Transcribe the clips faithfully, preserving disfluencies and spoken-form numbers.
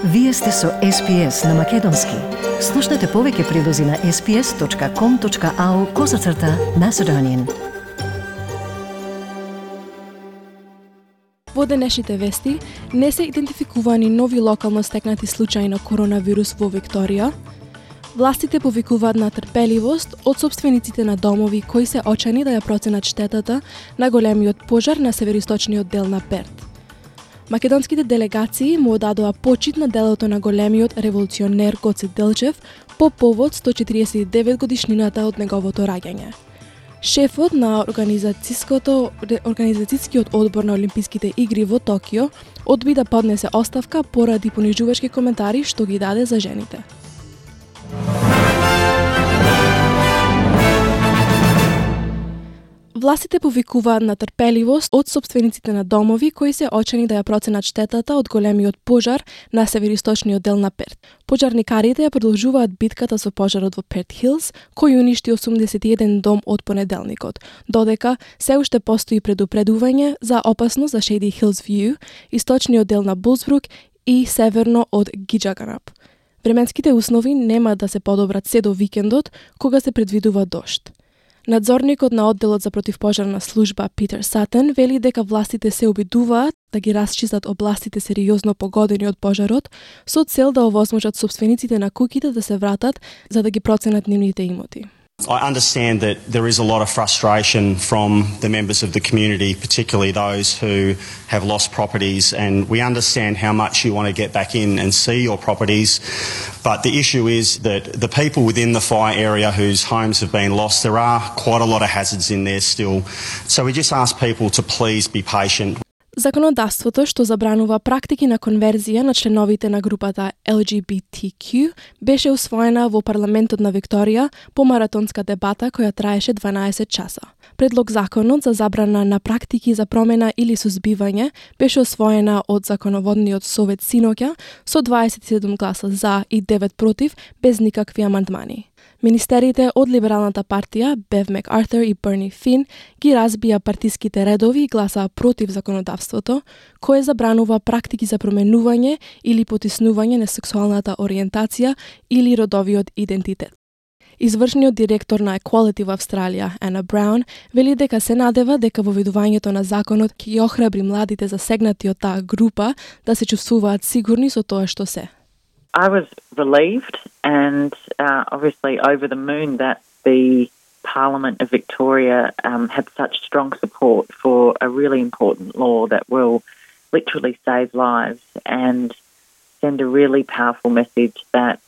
Вие сте со Ес Пи Ес на Македонски. Слушнете повеќе прилози на ес пи ес точка ком точка ау козацрта Macedonian. Во денешните вести не се идентификувани нови локално стекнати случаи на коронавирус во Викторија. Властите повикуваат на трпеливост од сопствениците на домови кои се очани да ја проценат штетата на големиот пожар на североисточниот дел на Перт. Македонските делегации му одадоа почит на делото на големиот револуционер Гоце Делчев по повод сто четириесет и девет годишнината од неговото раѓање. Шефот на организацијското организацијскиот одбор на Олимписките игри во Токио одби да поднесе оставка поради понижувачки коментари што ги даде за жените. Властите повикуваат на трпеливост од сопствениците на домови кои се очени да ја проценат штетата од големиот пожар на североисточниот дел на Перт. Пожарникарите ја продолжуваат битката со пожарот во Перт Хилс, кој уништи осумдесет и еден дом од понеделникот, додека се уште постои предупредување за опасност за Shady Hills View, источниот дел на Булсбрук и северно од Гиджаганап. Временските услови нема да се подобрат се до викендот, кога се предвидува дожд. Надзорникот на одделот за противпожарна служба Питер Сатен вели дека властите се обидуваат да ги расчистат областите сериозно погодени од пожарот со цел да овозможат сопствениците на куќите да се вратат за да ги проценат нивните имоти. I understand that there is a lot of frustration from the members of the community, particularly those who have lost properties, and we understand how much you want to get back in and see your properties. But the issue is that the people within the fire area whose homes have been lost, there are quite a lot of hazards in there still. So we just ask people to please be patient. Законодавството што забранува практики на конверзија на членовите на групата Ел Джи Би Ти Кју беше усвоена во парламентот на Викторија по маратонска дебата која траеше дванаесет часа. Предлог законот за забрана на практики за промена или сузбивање беше усвоена од законоводниот совет синоќа со дваесет и седум гласа за и девет против без никакви амандмани. Министерите од Либералната партија, Бев Макартер и Берни Фин, ги разбија партиските редови и гласаа против законодавството, кое забранува практики за променување или потиснување на сексуалната ориентација или родовиот идентитет. Извршниот директор на Equality во Австралија, Ана Браун, вели дека се надева дека воведувањето на законот ќе ги охрабри младите засегнати од таа група да се чувствуваат сигурни со тоа што се. I was relieved and uh, obviously over the moon that the Parliament of Victoria um, had such strong support for a really important law that will literally save lives and send a really powerful message that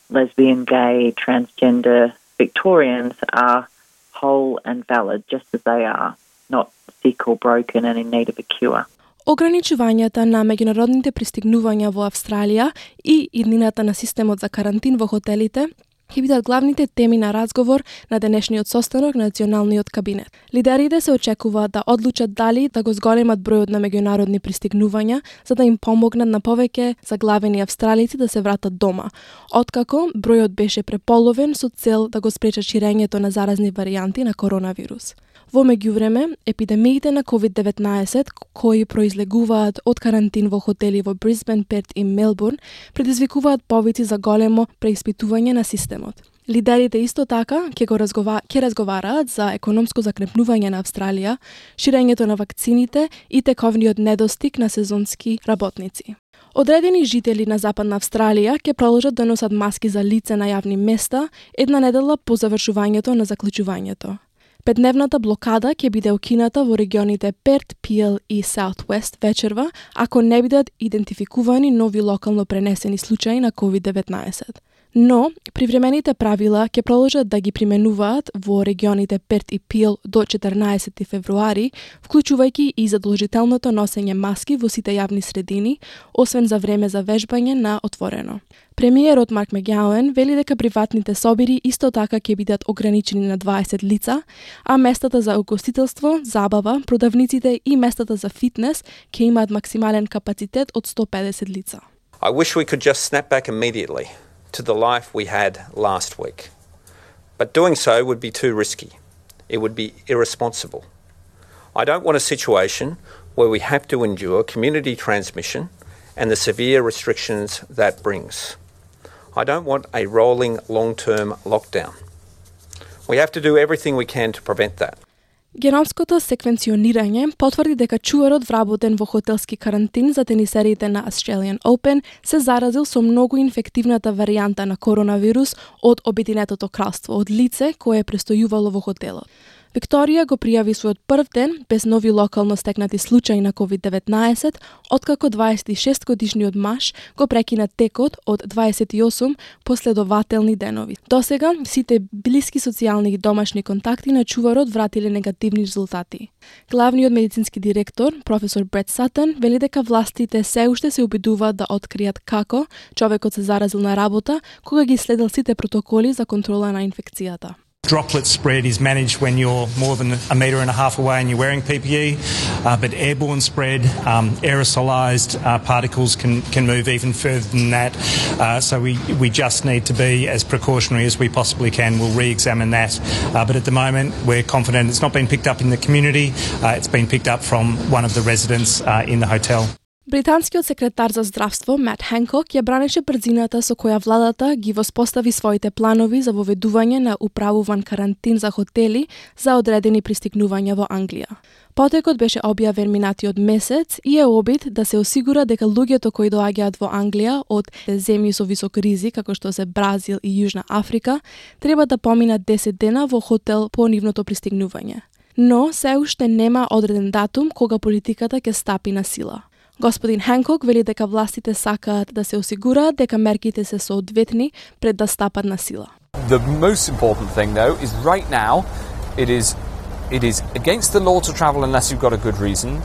lesbian, gay, transgender Victorians are whole and valid just as they are, not sick or broken and in need of a cure. Ограничувањата на меѓународните пристигнувања во Австралија и иднината на системот за карантин во хотелите ќе бидат главните теми на разговор на денешниот состанок на Националниот кабинет. Лидерите се очекуваат да одлучат дали да го зголемат бројот на меѓународни пристигнувања за да им помогнат на повеќе заглавени австралици да се вратат дома, откако бројот беше преполовен со цел да го спречат ширењето на заразни варијанти на коронавирус. Во меѓувреме, епидемиите на ковид деветнаесет, кои произлегуваат од карантин во хотели во Брисбен, Перт и Мелбурн, предизвикуваат повици за големо преиспитување на системот. Лидерите исто така ќе го разгова... ќе разговараат за економско закрепнување на Австралија, ширењето на вакцините и тековниот недостиг на сезонски работници. Одредени жители на Западна Австралија ќе продолжат да носат маски за лице на јавни места една недела по завршувањето на заклучувањето. Петдневната блокада ќе биде укината во регионите Перт, Пиел и Саутвест вечерва, ако не бидат идентификувани нови локално пренесени случаи на ковид деветнаесет. Но, привремените правила ќе продолжат да ги применуваат во регионите Перт и Пиел до четрнаесети февруари, вклучувајќи и задолжителното носење маски во сите јавни средини, освен за време за вежбање на отворено. Премиерот Марк Мегјауен вели дека приватните собири исто така ќе бидат ограничени на дваесет лица, а местата за угостителство, забава, продавниците и местата за фитнес ќе имаат максимален капацитет од сто педесет лица. I wish we could just snap back immediately to the life we had last week. But doing so would be too risky. It would be irresponsible. I don't want a situation where we have to endure community transmission and the severe restrictions that brings. I don't want a rolling long-term lockdown. We have to do everything we can to prevent that. Геномското секвенционирање потврди дека чуварот вработен во хотелски карантин за тенисерите на Australian Open се заразил со многу инфективната варијанта на коронавирус од Обединетото кралство од лице кое престојувало во хотелот. Викторија го пријави својот прв ден без нови локално стекнати случаи на ковид деветнаесет, откако дваесет и шест годишниот маж го прекина текот од дваесет и осум последователни денови. Досега, сите блиски социјални и домашни контакти на чуварот вратиле негативни резултати. Главниот медицински директор, професор Брет Сатън, вели дека властите се уште се обидуваат да откријат како човекот се заразил на работа, кога ги следел сите протоколи за контрола на инфекцијата. Droplet spread is managed when you're more than a metre and a half away and you're wearing P P E, uh, but airborne spread, um, aerosolised uh, particles can, can move even further than that. Uh, so we, we just need to be as precautionary as we possibly can. We'll re-examine that. Uh, but at the moment, we're confident it's not been picked up in the community. Uh, it's been picked up from one of the residents uh, in the hotel. Британскиот секретар за здравство Мат Хенкок ја бранеше брзината со која владата ги воспостави своите планови за воведување на управуван карантин за хотели за одредени пристигнувања во Англија. Потекот беше објавен минатиот месец и е обид да се осигура дека луѓето кои доаѓаат во Англија од земји со висок ризик, како што се Бразил и Јужна Африка, треба да поминат десет дена во хотел по нивното пристигнување. Но се уште нема одреден датум кога политиката ќе стапи на сила. Господин Хенкок вели дека властите сакаат да се осигураат дека мерките се соодветни пред да стапат на сила. The most important thing though is right now it is it is against the law to travel unless you've got a good reason,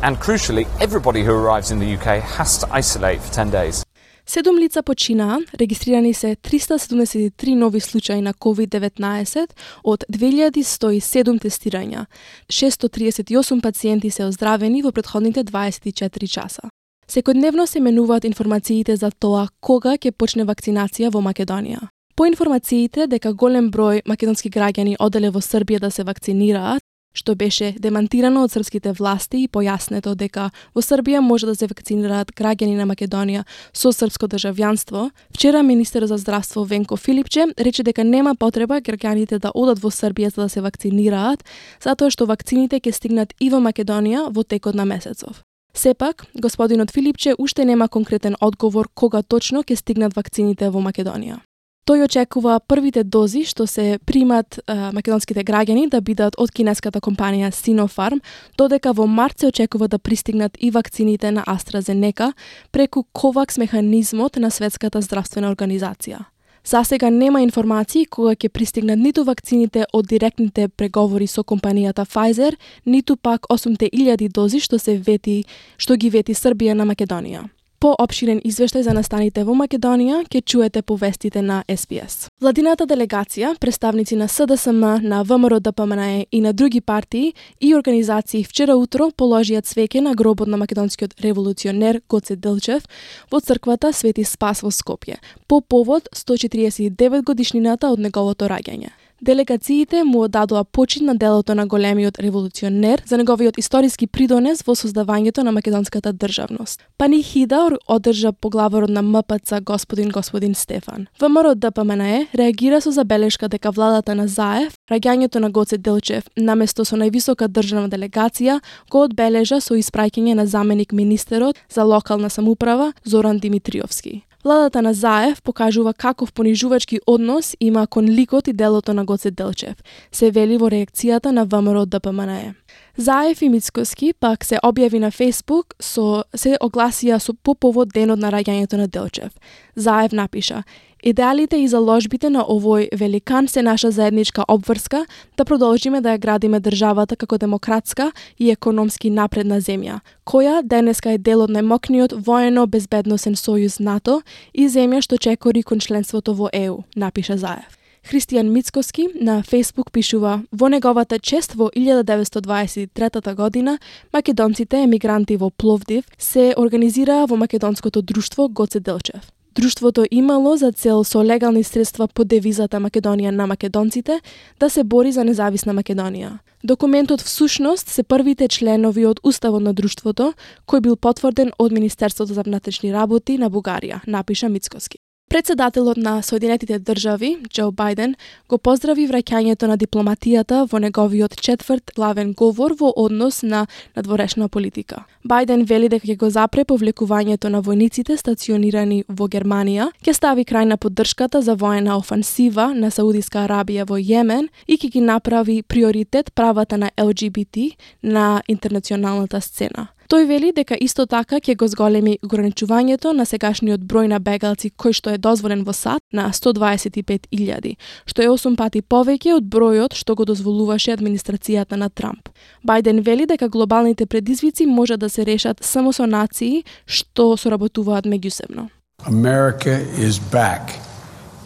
and crucially everybody who arrives in the U K has to isolate for ten days. Седум лица починаа, регистрирани се триста седумдесет и три нови случаи на ковид деветнаесет од две илјади сто и седум тестирања. шестстотини триесет и осум пациенти се оздравени во претходните дваесет и четири часа. Секојдневно се менуваат информациите за тоа кога ќе почне вакцинација во Македонија. По информациите дека голем број македонски граѓани оделе во Србија да се вакцинираат, што беше демантирано од српските власти и појаснето дека во Србија може да се вакцинираат граѓани на Македонија со српско државјанство, вчера министер за здравство Венко Филипче рече дека нема потреба граѓаните да одат во Србија за да се вакцинираат, затоа што вакцините ќе стигнат и во Македонија во текот на месецов. Сепак, господинот Филипче уште нема конкретен одговор кога точно ќе стигнат вакцините во Македонија. Тој очекува првите дози што се примат а, македонските граѓани да бидат од кинеската компанија Sinopharm, додека во март се очекува да пристигнат и вакцините на AstraZeneca преку ковакс механизмот на Светската здравствена организација. Засега нема информации кога ќе пристигнат ниту вакцините од директните преговори со компанијата Pfizer, ниту пак осумте илјади дози што се вети, што ги вети Србија на Македонија. По опширен извештај за настаните во Македонија ќе чуете по вестите на С Б С. Владината делегација, представници на С Д С М, на В М Р Д П М Н Е и на други партии и организации вчера утро положија цвеќе на гробот на македонскиот револуционер Гоце Делчев во црквата Свети Спас во Скопје, по повод сто четириесет и девет годишнината од неговото раѓање. Делегациите му одадоа почит на делото на големиот револуционер за неговиот историски придонес во создавањето на македонската државност. Панихида одржа поглаварот на М П Ц господин господин Стефан. В М Р Д П М Н Е реагира со забелешка дека владата на Заев раѓањето на Гоце Делчев наместо со највисока државна делегација го одбележа со испраќање на заменик министерот за локална самоуправа Зоран Димитриовски. Владата на Заев покажува каков понижувачки однос има кон ликот и делото на Гоце Делчев, се вели во реакцијата на В М Р Д П М Н Е. Заев и Мицкоски пак се објави на Facebook, со се огласија со по повод денот на раѓањето на Делчев. Заев напиша: "Идеалите и заложбите на овој великан се наша заедничка обврска да продолжиме да ја градиме државата како демократска и економски напредна земја, која денеска е дел од најмокниот воено-безбедносен сојуз НАТО и земја што чекори кон членството во Е У", напиша Заев. Христијан Мицкоски на Facebook пишува: "Во неговата чест во илјада деветстотини дваесет и трета година македонците емигранти во Пловдив се организираа во македонското друштво Гоце Делчев. Друштвото имало за цел со легални средства под девизата Македонија на македонците да се бори за независна Македонија. Документот всушност се првите членови од Уставот на друштвото, кој бил потврден од Министерството за внатрешни работи на Бугарија, напиша Мицкоски. Председателот на Соединетите држави, Џо Бајден, го поздрави враќањето на дипломатијата во неговиот четврт главен говор во однос на надворешна политика. Бајден вели дека ќе го запре повлекувањето на војниците стационирани во Германија, ќе стави крај на поддршката за воена офансива на Саудиска Арабија во Јемен и ќе ги направи приоритет правата на Ел Џи Би Ти на интернационалната сцена. Тој вели дека исто така ќе го зголеми ограничувањето на сегашниот број на бегалци кој што е дозволен во САД на сто дваесет и пет илјади, што е осум пати повеќе од бројот што го дозволуваше администрацијата на Трамп. Бајден вели дека глобалните предизвици може да се решат само со нации што соработуваат меѓусебно. America is back.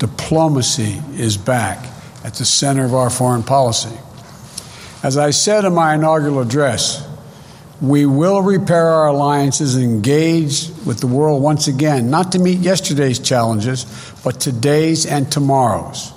Diplomacy is back at the center of our foreign policy. As I said in my inaugural address, we will repair our alliances and engage with the world once again, not to meet yesterday's challenges, but today's and tomorrow's.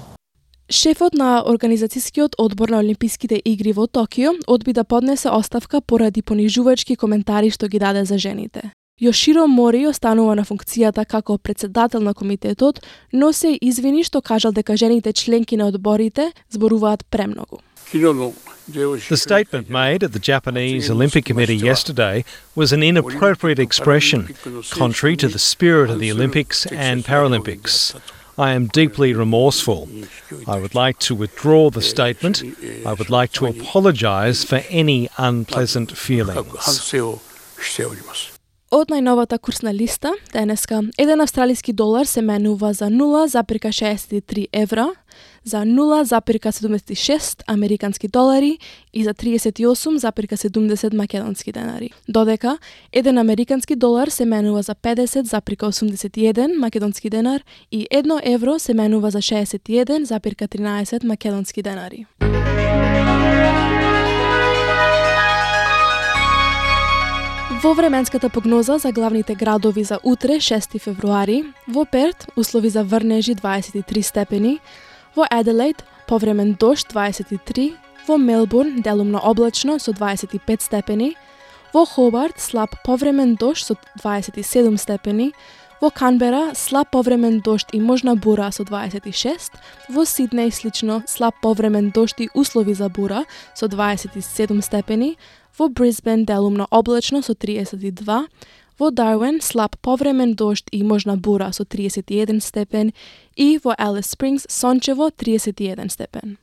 Шефот на Организацијскиот одбор на Олимписките игри во Токио одби да поднесе оставка поради понижувачки коментари што ги даде за жените. Јоширо Мори останува на функцијата како председател на комитетот, но се извини што кажал дека жените членки на одборите зборуваат премногу. The statement made at the Japanese Olympic Committee yesterday was an inappropriate expression, contrary to the spirit of the Olympics and Paralympics. I am deeply remorseful. I would like to withdraw the statement. I would like to apologise for any unpleasant feelings. Од најновата курсна листа, денеска, еден австралиски долар се менува за нула запирка шеесет и три евра, за нула запирка седумдесет и шест американски долари и за триесет и осум запирка седумдесет македонски денари. Додека, еден американски долар се менува за педесет запирка осумдесет и еден македонски денар и едно евро се менува за шеесет и еден запирка тринаесет македонски денари. Во временската прогноза за главните градови за утре, шести февруари, во Перт услови за врнежи дваесет и три степени, во Аделаид повремен дожд дваесет и три, во Мелбурн делумно облачно со дваесет и пет степени, во Хобарт слаб повремен дожд со дваесет и седум степени, во Канбера слаб повремен дожд и можна бура со дваесет и шест, во Сиднеј слично слаб повремен дожд и услови за бура со дваесет и седум степени, во Брисбен делумно облачно со триесет и два, во Дарвин слаб повремен дожд и можна бура со триесет и еден степен и во Алис Спрингс сончево триесет и еден степен.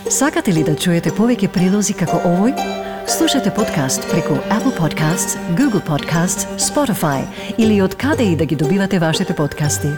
Сакате ли да чуете повеќе прилози како овој? Слушате подкаст преку Apple Podcasts, Google Podcasts, Spotify или од каде и да ги добивате вашите подкасти.